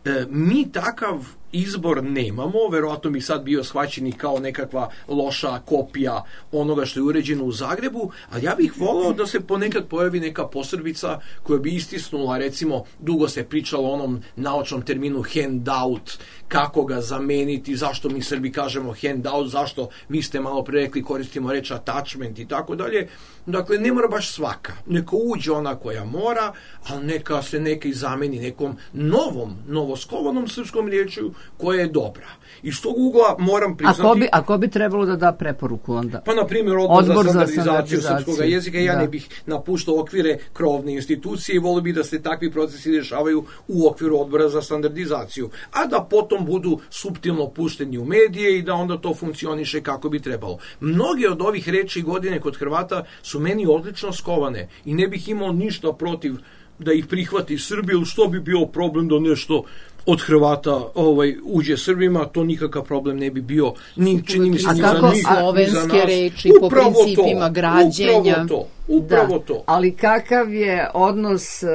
E, mi takav izbor nemamo, verovatno bi sad bio shvaćeni kao nekakva loša kopija onoga što je uređeno u Zagrebu, ali ja bih volao da se ponekad pojavi neka posrbica koja bi istisnula, recimo, dugo se pričalo o onom naučnom terminu handout, kako ga zameniti, zašto mi Srbi kažemo handout, zašto vi ste malo pre rekli koristimo reč attachment i tako dalje. Dakle, ne mora baš svaka. Neka uđe ona koja mora, ali neka se neka i zameni nekom novom, novoskovanom srpskom riječju koja je dobra. Iz tog ugla moram priznati... A ko bi, a ko bi trebalo da da preporuku onda? Pa, na primjer, odbor, odbor za za standardizaciju srpskog jezika. Ja da. ne bih napuštao okvire krovne institucije i volio bih da se takvi procesi dešavaju u okviru odbora za standardizaciju. A da potom budu suptilno pušteni u medije i da onda to funkcioniše kako bi trebalo. Mnoge od ovih reči godine kod Hrvata su meni odlično skovane i ne bih imao ništa protiv da ih prihvati Srbija, ili što bi bio problem da nešto od Hrvata ovaj, uđe Srbima, to nikakav problem ne bi bio, ni čini mi se ni za njih, ni za nas. slovenske reči po Upravo principima to, građenja. Upravo to, upravo Da, to. ali kakav je odnos uh,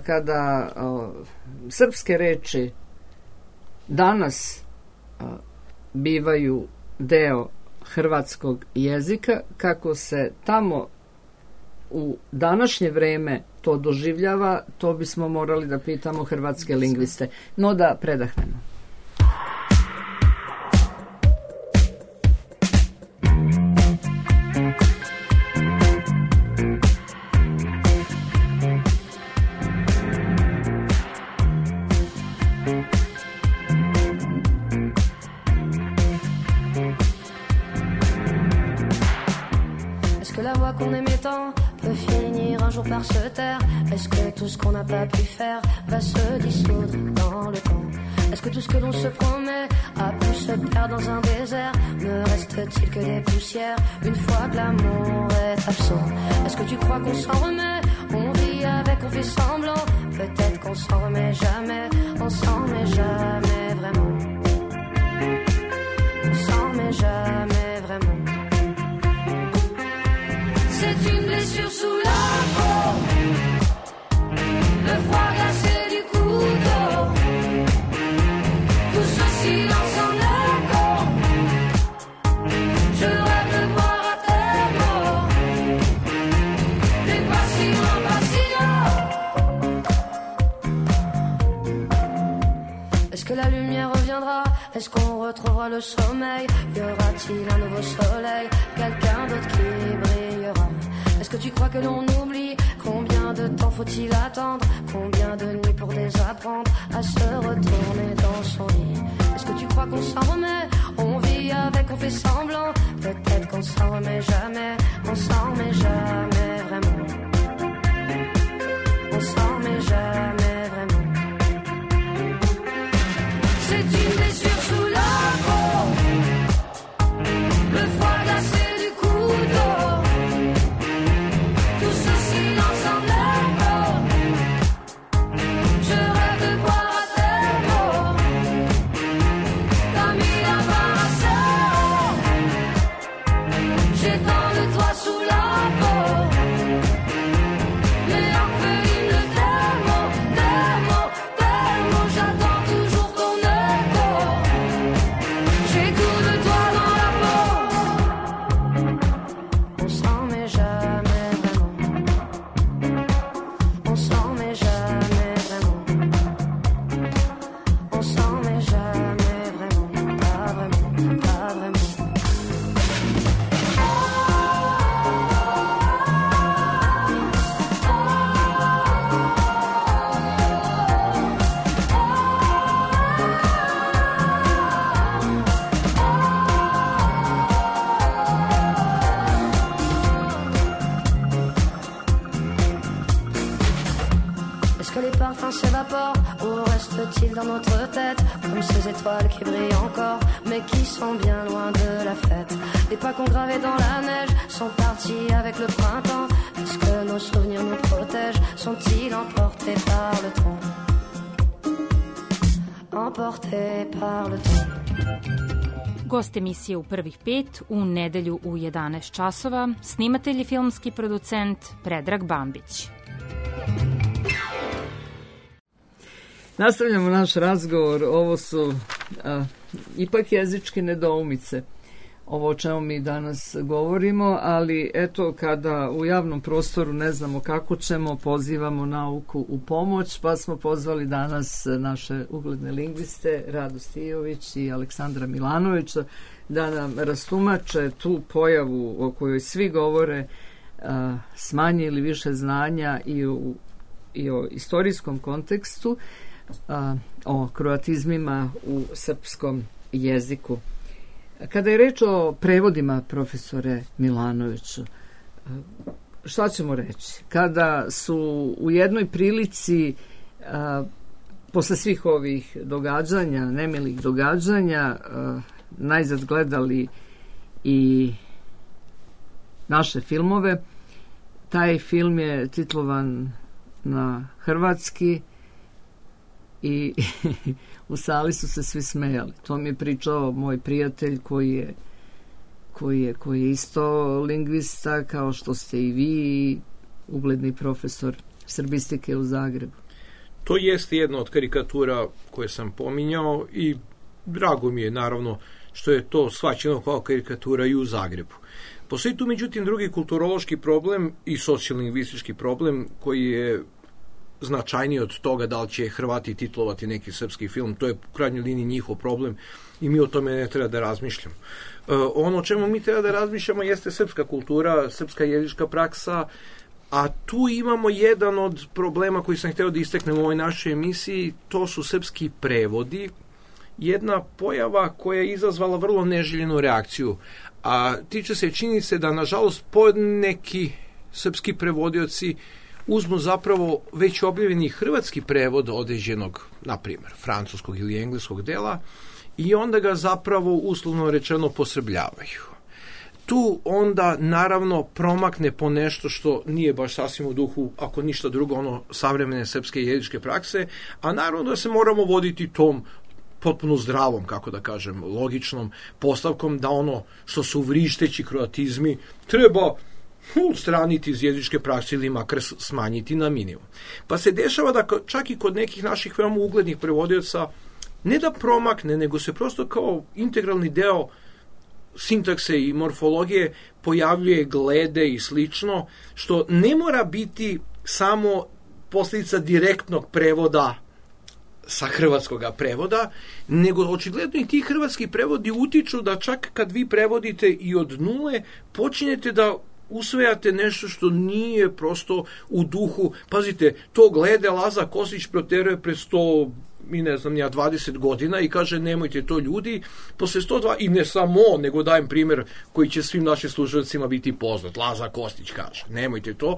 kada uh, srpske reči danas uh, bivaju deo hrvatskog jezika, kako se tamo u današnje vreme to doživljava, to bismo morali da pitamo hrvatske lingviste. No da predahnemo. Est-ce que la voix qu'on aimait tant peut finir un jour par se taire? Est-ce que tout ce qu'on n'a pas pu faire va se dissoudre dans le temps? Est-ce que tout ce que l'on se promet a pu se perdre dans un désert? Ne reste-t-il que des poussières une fois que l'amour est absent? Est-ce que tu crois qu'on s'en remet? On vit avec, on fait semblant. Peut-être qu'on s'en remet jamais. On s'en remet jamais vraiment. On s'en remet jamais vraiment. C'est une blessure sous la peau, le froid glacé du couteau, tout ce silence en écho. Je rêve de boire à tes mots, des passions, passions. Est-ce que la lumière reviendra? Est-ce qu'on retrouvera le sommeil? Y aura-t-il un nouveau soleil? Quelqu'un d'autre qui brillera? Est-ce que tu crois que l'on oublie? Combien de temps faut-il attendre? Combien de nuits pour désapprendre à se retourner dans son lit? Est-ce que tu crois qu'on s'en remet? On vit avec, on fait semblant. Peut-être qu'on s'en remet jamais. On s'en remet jamais vraiment. On s'en remet jamais vraiment. C'est une blessure sous la peau, le froid glacé du couteau, tout ce silence en écho. Je rêve de boire à tes mots, comme il a embarrassé. J'ai tant de toi sous la peau, mais orpheline de tes mots, tes mots, tes mots. J'attends toujours ton écho. pile dans notre tête, comme ces étoiles qui brillent encore, mais qui sont bien loin de la fête. Les pas qu'on gravait dans la neige sont partis avec le printemps. Est-ce que nos souvenirs nous protègent? Sont-ils emportés par le temps? Emportés par le temps. Gost emisije u prvih pet u nedelju u jedanaest časova, snimatelj i filmski producent Predrag Bambić. Nastavljamo naš razgovor. Ovo su a, ipak jezičke nedoumice, ovo o čemu mi danas govorimo, ali eto, kada u javnom prostoru ne znamo kako ćemo, pozivamo nauku u pomoć, pa smo pozvali danas naše ugledne lingviste Radu Stijović i Aleksandra Milanovića da nam rastumače tu pojavu o kojoj svi govore, a, s manje ili više znanja i, u, i o istorijskom kontekstu, a, o kroatizmima u srpskom jeziku. Kada je reč o prevodima, profesore Milanoviću, šta ćemo reći? Kada su u jednoj prilici, a, posle svih ovih događanja, nemilih događanja, a, najzad gledali i naše filmove, taj film je titlovan na hrvatski i u sali su se svi smejali. To mi je pričao moj prijatelj koji je, koji je, koji je isto lingvista, kao što ste i vi, ugledni profesor srbistike u Zagrebu. To jeste jedna od karikatura koje sam pominjao i drago mi je naravno što je to shvaćeno kao karikatura i u Zagrebu. Postoji tu međutim drugi kulturološki problem i socijalno-lingvistički problem koji je značajniji od toga da li će Hrvati titlovati neki srpski film. To je u krajnjoj liniji njihov problem i mi o tome ne treba da razmišljamo. E, ono o čemu mi treba da razmišljamo jeste srpska kultura, srpska jezička praksa, a tu imamo jedan od problema koji sam hteo da istaknem u ovoj našoj emisiji, to su srpski prevodi, jedna pojava koja je izazvala vrlo neželjenu reakciju, a tiče se činjenice da nažalost poneki srpski prevodioci uzmu zapravo već objavljeni hrvatski prevod određenog, na primjer, francuskog ili engleskog dela i onda ga zapravo uslovno rečeno posrbljavaju. Tu onda naravno promakne po nešto što nije baš sasvim u duhu, ako ništa drugo, ono savremene srpske jezičke prakse, a naravno da se moramo voditi tom potpuno zdravom, kako da kažem, logičnom postavkom da ono što su vrišteći kroatizmi treba odstraniti iz jezičke prakse ili makar smanjiti na minimum. Pa se dešava da čak i kod nekih naših veoma uglednih prevodioca ne da promakne, nego se prosto kao integralni deo sintakse i morfologije pojavljuje glede i slično, što ne mora biti samo posljedica direktnog prevoda sa hrvatskog prevoda, nego očigledno i ti hrvatski prevodi utiču da čak kad vi prevodite i od nule, počinjete da usvajate nešto što nije prosto u duhu. Pazite, to glede Laza Kostić proteruje pre sto, mi ne znam, ja dvadeset godina i kaže nemojte to ljudi, posle sto dva, i ne samo on, nego dajem primjer koji će svim našim slušalcima biti poznat. Laza Kostić kaže, nemojte to,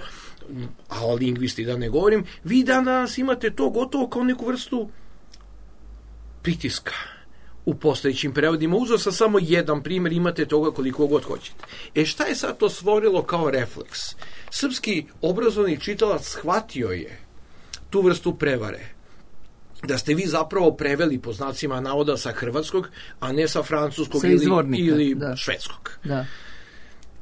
a o lingvisti da ne govorim, vi danas imate to gotovo kao neku vrstu pritiska u postojećim prevodima. Uzeo sam samo jedan primjer, imate toga koliko god hoćete. E šta je sad to stvorilo kao refleks? Srpski obrazovni čitalac shvatio je tu vrstu prevare, da ste vi zapravo preveli po znacima navoda sa hrvatskog, a ne sa francuskog sa ili, ili da. švedskog. Da.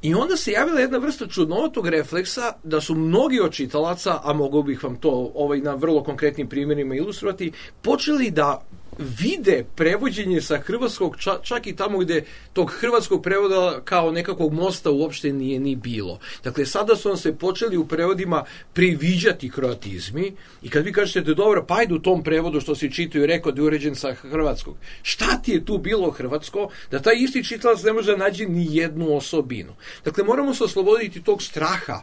I onda se javila jedna vrsta čudnovitog refleksa da su mnogi od čitalaca, a mogu bih vam to ovaj, na vrlo konkretnim primjerima ilustrovati, počeli da vide prevođenje sa hrvatskog, ča, čak i tamo gde tog hrvatskog prevoda kao nekakvog mosta uopšte nije ni bilo. Dakle, sada su nam se počeli u prevodima priviđati kroatizmi i kad vi kažete da dobro, pa ajde u tom prevodu što si čitao i rekao da je uređen sa hrvatskog. Šta ti je tu bilo hrvatsko da taj isti čitalac ne može naći ni jednu osobinu? Dakle, moramo se osloboditi tog straha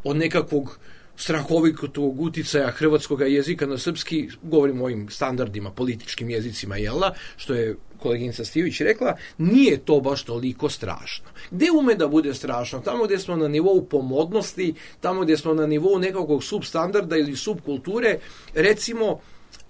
od nekakvog strahovitog uticaja hrvatskog jezika na srpski, govorimo o ovim standardima, političkim jezicima, jel'a, što je koleginica Stijović rekla, nije to baš toliko strašno. Gde ume da bude strašno? Tamo gde smo na nivou pomodnosti, tamo gde smo na nivou nekakvog substandarda ili subkulture, recimo,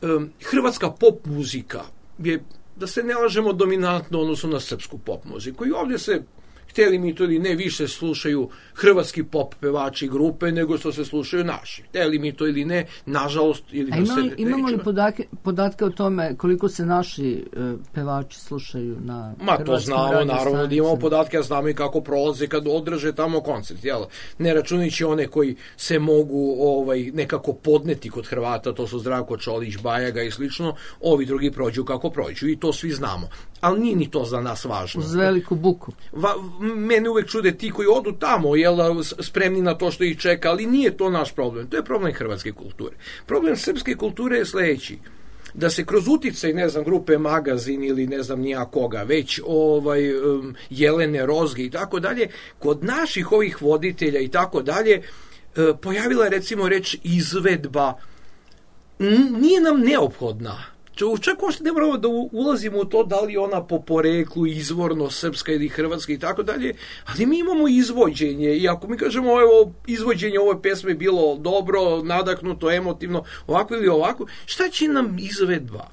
um, hrvatska pop muzika je, da se ne lažemo, dominantno odnosno na srpsku pop muziku. I ovdje se, htjeli mi to ili ne, više slušaju hrvatski pop pevači i grupe nego što se slušaju naši. Htjeli mi to ili ne, nažalost, ili A da ima li, se imamo li nećemo. podatke, podatke o tome koliko se naši e, pevači slušaju na Ma to hrvatskim znamo, radio naravno da stanicama? imamo podatke, a znamo i kako prolaze kad održe tamo koncert, jel? Ne računajući one koji se mogu ovaj nekako podneti kod Hrvata, to su Zdravko Čolić, Bajaga i slično, ovi drugi prođu kako prođu i to svi znamo. Ali nije ni to za nas važno. Uz veliku buku. Va, mene uvek čude ti koji odu tamo, jel, spremni na to što ih čeka, ali nije to naš problem. To je problem hrvatske kulture. Problem srpske kulture je sljedeći. Da se kroz uticaj, ne znam, grupe Magazin ili ne znam nija koga, već ovaj, um, Jelene Rozge i tako dalje, kod naših ovih voditelja i tako dalje, uh, pojavila je recimo reč izvedba. N- nije nam neophodna. Čak uopšte ne moramo da ulazimo u to da li ona po poreklu izvorno srpska ili hrvatska i tako dalje, ali mi imamo izvođenje i ako mi kažemo evo izvođenje ove pesme bilo dobro, nadahnuto, emotivno, ovako ili ovako, šta će nam izvedba?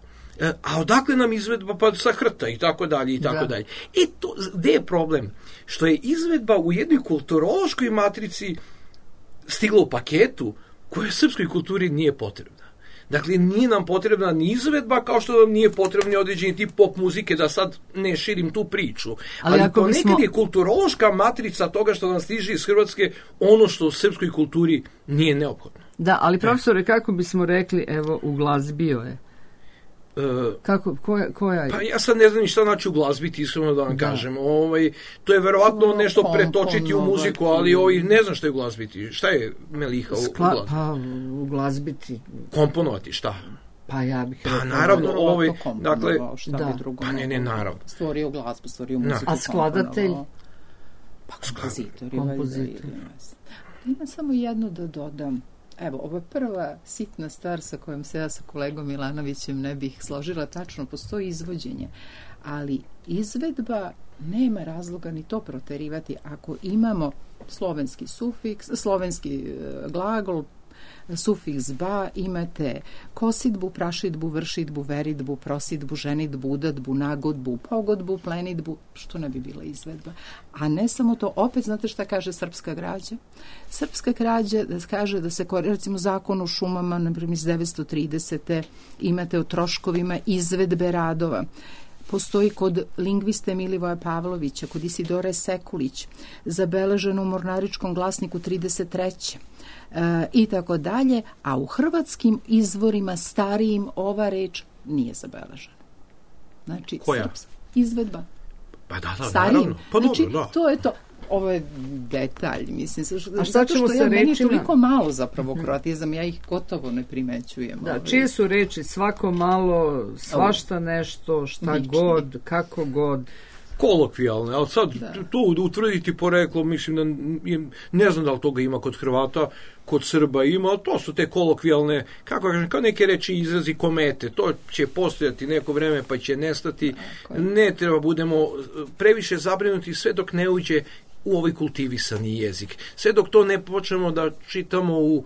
A odakle nam izvedba? Pa sa hrta i tako dalje i tako dalje. I to, gde je problem? Što je izvedba u jednoj kulturološkoj matrici stigla u paketu koja srpskoj kulturi nije potrebna. Dakle, nije nam potrebna ni izvedba, kao što nam nije potrebni određeni tip pop muzike, da sad ne širim tu priču. Ali, Ali ponekad bismo... je kulturološka matrica toga što nam stiže iz Hrvatske ono što u srpskoj kulturi nije neophodno. Da, ali profesore, kako bismo rekli, evo, uglazbio je? Uh, Kako, koja, koja je? Pa ja sad ne znam ni šta znači uglazbiti, iskreno da vam da. kažem. Ovaj, to je verovatno no, nešto pretočiti u muziku, ali ovaj, ne znam šta je uglazbiti. Šta je Meliha Skla, uglazbiti? Pa uglazbiti. Komponovati, šta? Pa ja bih pa rekao. naravno, ovaj, dakle, da. Drugo, pa ne, ne, naravno. Stvorio glazbu, stvorio muziku. A skladatelj? Pa kompozitor. Kompozitor. Ima samo jedno da dodam. Evo, ovo je prva sitna stvar sa kojom se ja sa kolegom Milanovićem ne bih složila tačno, postoji izvođenje, ali izvedba nema razloga ni to proterivati ako imamo slovenski sufiks, slovenski glagol, sufiks ba, imate kosidbu, prašidbu, vršidbu, veridbu, prosidbu, ženidbu, udatbu, nagodbu, pogodbu, plenidbu, što ne bi bila izvedba. A ne samo to, opet znate šta kaže srpska građa? Srpska građa da kaže da se, recimo zakon o šumama, na primjer iz devetsto tridesete imate o troškovima izvedbe radova. Postoji kod lingviste Milivoja Pavlovića, kod Isidore Sekulić, zabeleženo u Mornaričkom glasniku trideset treće E, i tako dalje, a u hrvatskim izvorima starijim ova reč nije zabeležena. Znači, koja? Srpska izvedba. Pa da, da, starijim. naravno. Pa znači, dobro, da. to je to. Ovo je detalj, mislim. A šta ćemo što sa ja, rečima? Meni je toliko malo zapravo kroatizam, ja ih gotovo ne primećujem. Da, ovaj. čije su reči svako malo, svašta nešto, šta Lični. god, kako god. Kolokvijalne, ali sad da. tu utvrditi poreklo, mislim da ne znam da li toga ima kod Hrvata, kod Srba ima, ali to su te kolokvijalne, kako kažem, kao neke reči izrazi komete, to će postojati neko vreme pa će nestati, ne treba budemo previše zabrinuti sve dok ne uđe u ovaj kultivisani jezik. Sve dok to ne počnemo da čitamo u,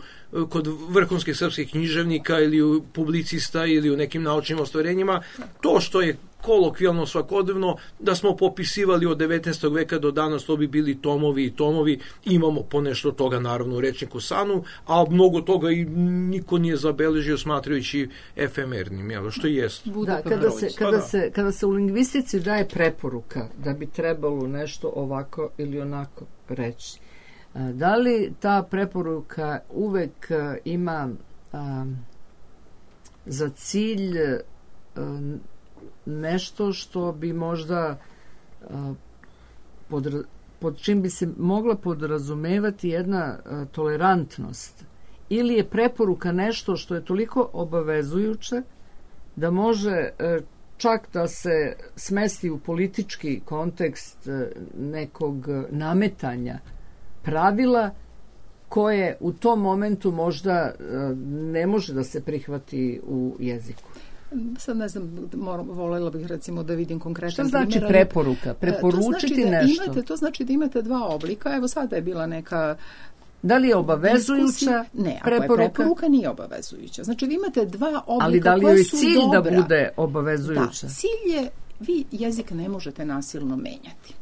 kod vrhunskih srpskih književnika ili u publicista ili u nekim naučnim ostvarenjima, to što je kolokvijalno svakodnevno, da smo popisivali od devetnaestog veka do danas, to bi bili tomovi i tomovi, imamo ponešto toga naravno u rečniku Sanu, a mnogo toga i niko nije zabeležio smatrajući efemernim, jel, što jest. Da, kada se, kada, se, kada se u lingvistici daje preporuka da bi trebalo nešto ovako ili onako reći, da li ta preporuka uvek ima a, za cilj a, nešto što bi možda a, pod, pod čim bi se mogla podrazumevati jedna a, tolerantnost, ili je preporuka nešto što je toliko obavezujuće da može a, čak da se smesti u politički kontekst a, nekog nametanja pravila koje u tom momentu možda a, ne može da se prihvati u jeziku. Sad ne znam, moram, voljela bih recimo da vidim konkretan primjer. Šta znači primjer, preporuka? Preporučiti to znači da nešto? Imate, to znači da imate dva oblika. Evo sada je bila neka Da li je obavezujuća ne, preporuka? ako je preporuka, nije obavezujuća. Znači, vi imate dva oblika ali da li koja joj su cilj dobra. Da bude obavezujuća? Da, cilj je, vi jezik ne možete nasilno menjati.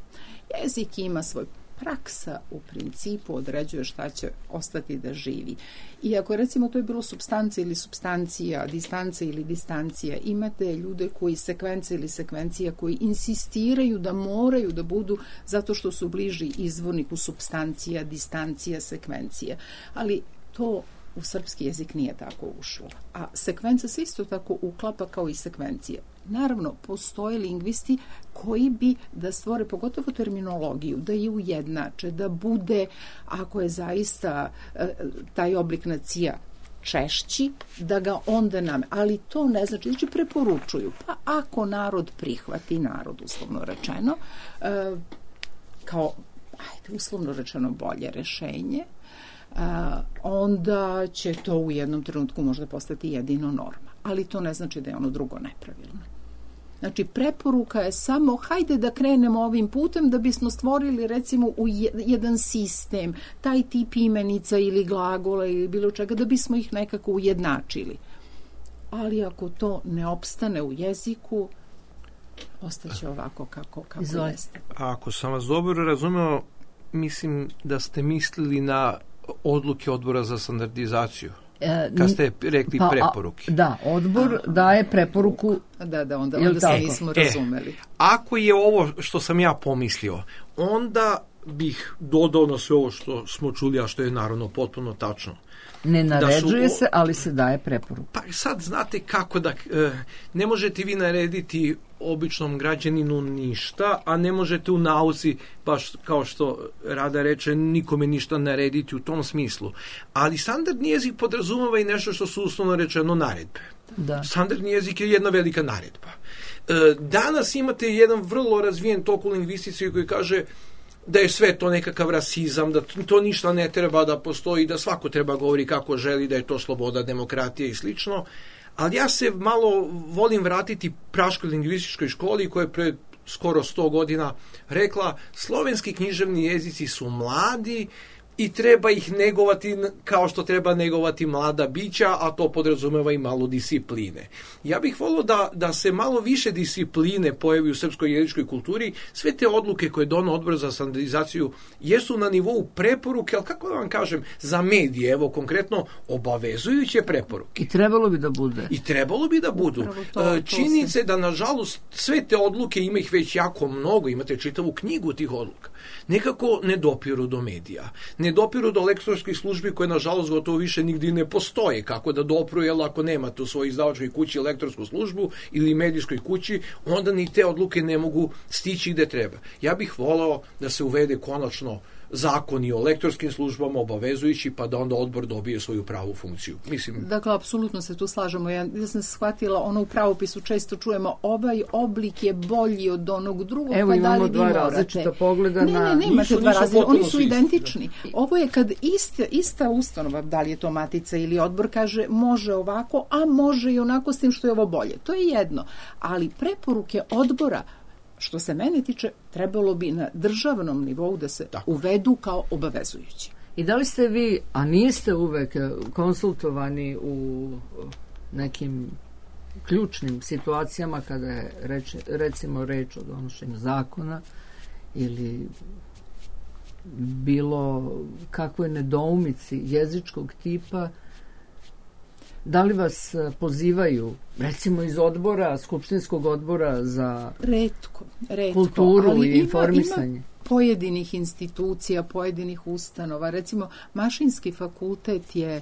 Jezik ima svoj praksa u principu određuje šta će ostati da živi. I ako recimo to je bilo supstancija ili supstancija, distancija ili distancija, imate ljude koji sekvence ili sekvencija koji insistiraju da moraju da budu zato što su bliži izvorniku supstancija, distancija, sekvencija. Ali to u srpski jezik nije tako ušlo. A sekvenca se isto tako uklapa kao i sekvencija. Naravno, postoje lingvisti koji bi da stvore pogotovo terminologiju, da je ujednače, da bude, ako je zaista e, taj oblik nacija češći, da ga onda nam... Ali to ne znači, znači preporučuju. Pa ako narod prihvati, narod uslovno rečeno, e, kao, ajde, uslovno rečeno bolje rešenje, Uh, onda će to u jednom trenutku možda postati jedino norma. Ali to ne znači da je ono drugo nepravilno. Znači, preporuka je samo hajde da krenemo ovim putem da bismo stvorili recimo u jedan sistem, taj tip imenica ili glagola ili bilo čega, da bismo ih nekako ujednačili. Ali ako to ne opstane u jeziku, ostaće ovako kako, kako jeste. Ako sam vas dobro razumeo, mislim da ste mislili na odluke odbora za standardizaciju. E, kad ste rekli pa, preporuke. A, da, odbor Aha. daje preporuku. Da, da, onda, onda se nismo e, razumeli. Ako je ovo što sam ja pomislio, onda bih dodao na sve ovo što smo čuli, a što je naravno potpuno tačno. Ne naređuje su, se, ali se daje preporuka. Pa sad znate kako da... E, ne možete vi narediti običnom građaninu ništa, a ne možete u nauci, baš kao što Rada reče, nikome ništa narediti u tom smislu. Ali standardni jezik podrazumeva i nešto što su uslovno rečeno naredbe. Da. Standardni jezik je jedna velika naredba. E, danas imate jedan vrlo razvijen tok u lingvistici koji kaže da je sve to nekakav rasizam, da to ništa ne treba da postoji, da svako treba govori kako želi, da je to sloboda, demokratija i slično. Ali ja se malo volim vratiti praškoj lingvističkoj školi koja je pred skoro sto godina rekla slovenski književni jezici su mladi i treba ih negovati kao što treba negovati mlada bića, a to podrazumeva i malo discipline. Ja bih volio da, da se malo više discipline pojavi u srpskoj jezičkoj kulturi. Sve te odluke koje dono odbor za standardizaciju jesu na nivou preporuke, ali kako da vam kažem, za medije, evo konkretno, obavezujuće preporuke. I trebalo bi da bude. I trebalo bi da budu. To, Činjenice da, nažalost, sve te odluke, ima ih već jako mnogo, imate čitavu knjigu tih odluka, nekako ne dopiru do medija. Ne dopiru do lektorskih službi koje, nažalost, gotovo više nigdje ne postoje. Kako da dopru, jer ako nemate u svojoj izdavačkoj kući lektorsku službu ili medijskoj kući, onda ni te odluke ne mogu stići gde treba. Ja bih volao da se uvede konačno zakoni o lektorskim službama obavezujući, pa da onda odbor dobije svoju pravu funkciju. Mislim... Dakle, apsolutno se tu slažemo. Ja, ja sam shvatila, ono u pravopisu često čujemo, ovaj oblik je bolji od onog drugog, evo, pa da li vi dva morate. Različita pogleda ne, na... Ne, ne, imate dva različita, oni su identični. Da. Ovo je kad ista, ista ustanova, da li je to matica ili odbor, kaže može ovako, a može i onako s tim što je ovo bolje. To je jedno. Ali preporuke odbora, što se mene tiče, trebalo bi na državnom nivou da se Tako. uvedu kao obavezujući. I da li ste vi, a niste uvek konsultovani u nekim ključnim situacijama kada je reč, recimo reč o donošenju zakona ili bilo kakvoj nedoumici jezičkog tipa, da li vas pozivaju, recimo iz odbora, skupštinskog odbora za retko, retko, kulturu ali i informisanje? Ima, ima pojedinih institucija, pojedinih ustanova. Recimo, Mašinski fakultet je e,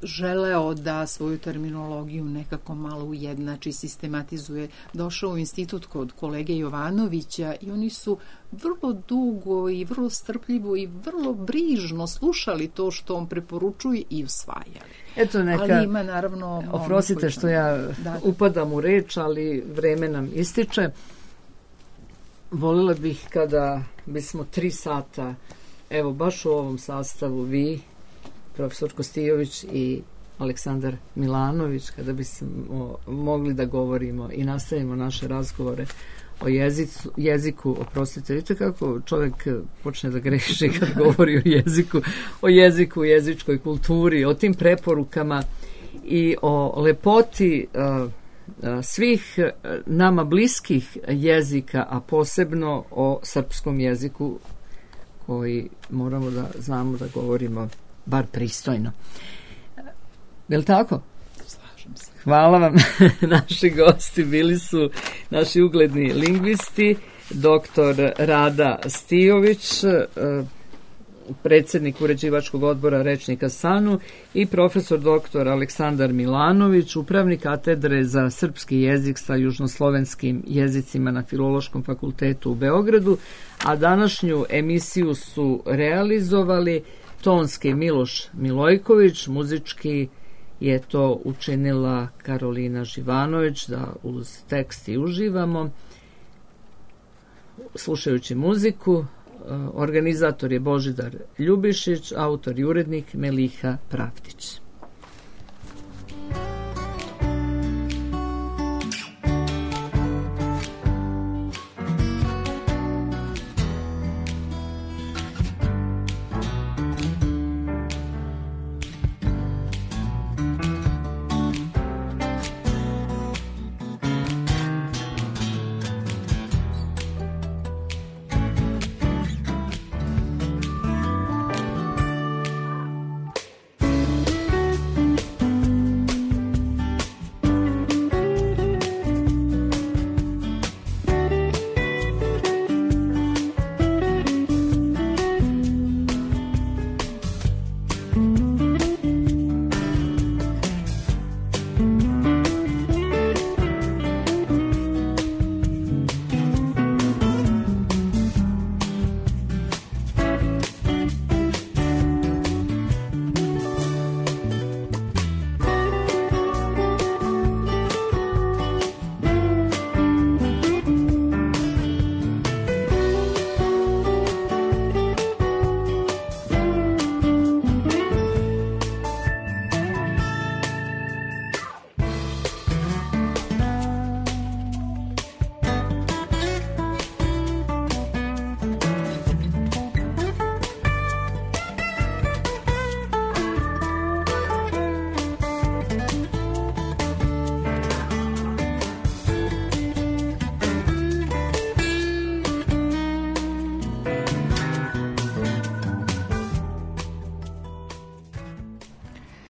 želeo da svoju terminologiju nekako malo ujednači, sistematizuje. Došao u institut kod kolege Jovanovića i oni su vrlo dugo i vrlo strpljivo i vrlo brižno slušali to što on preporučuje i usvajali. Eto neka, ali ima naravno... Oprostite što ja da, da. upadam u reč, ali vreme nam ističe. Voljela bih kada bismo tri sata, evo baš u ovom sastavu vi, profesor Kostijović i Aleksandar Milanović, kada bismo mogli da govorimo i nastavimo naše razgovore o jezicu, jeziku, oprostite, vidite kako čovjek počne da greši kad govori o jeziku, o jeziku, jezičkoj kulturi, o tim preporukama i o lepoti uh, svih nama bliskih jezika, a posebno o srpskom jeziku koji moramo da znamo da govorimo bar pristojno. Je li tako? Slažem se. Hvala vam. Naši gosti bili su naši ugledni lingvisti, doktor Rada Stijović, predsjednik uređivačkog odbora Rečnika SANU i profesor doktor Aleksandar Milanović, upravnik katedre za srpski jezik sa južnoslovenskim jezicima na Filološkom fakultetu u Beogradu, a današnju emisiju su realizovali tonski Miloš Milojković, muzički je to učinila Karolina Živanović, da uz tekst i uživamo slušajući muziku. Organizator je Božidar Ljubišić, autor i urednik Meliha Pravdić.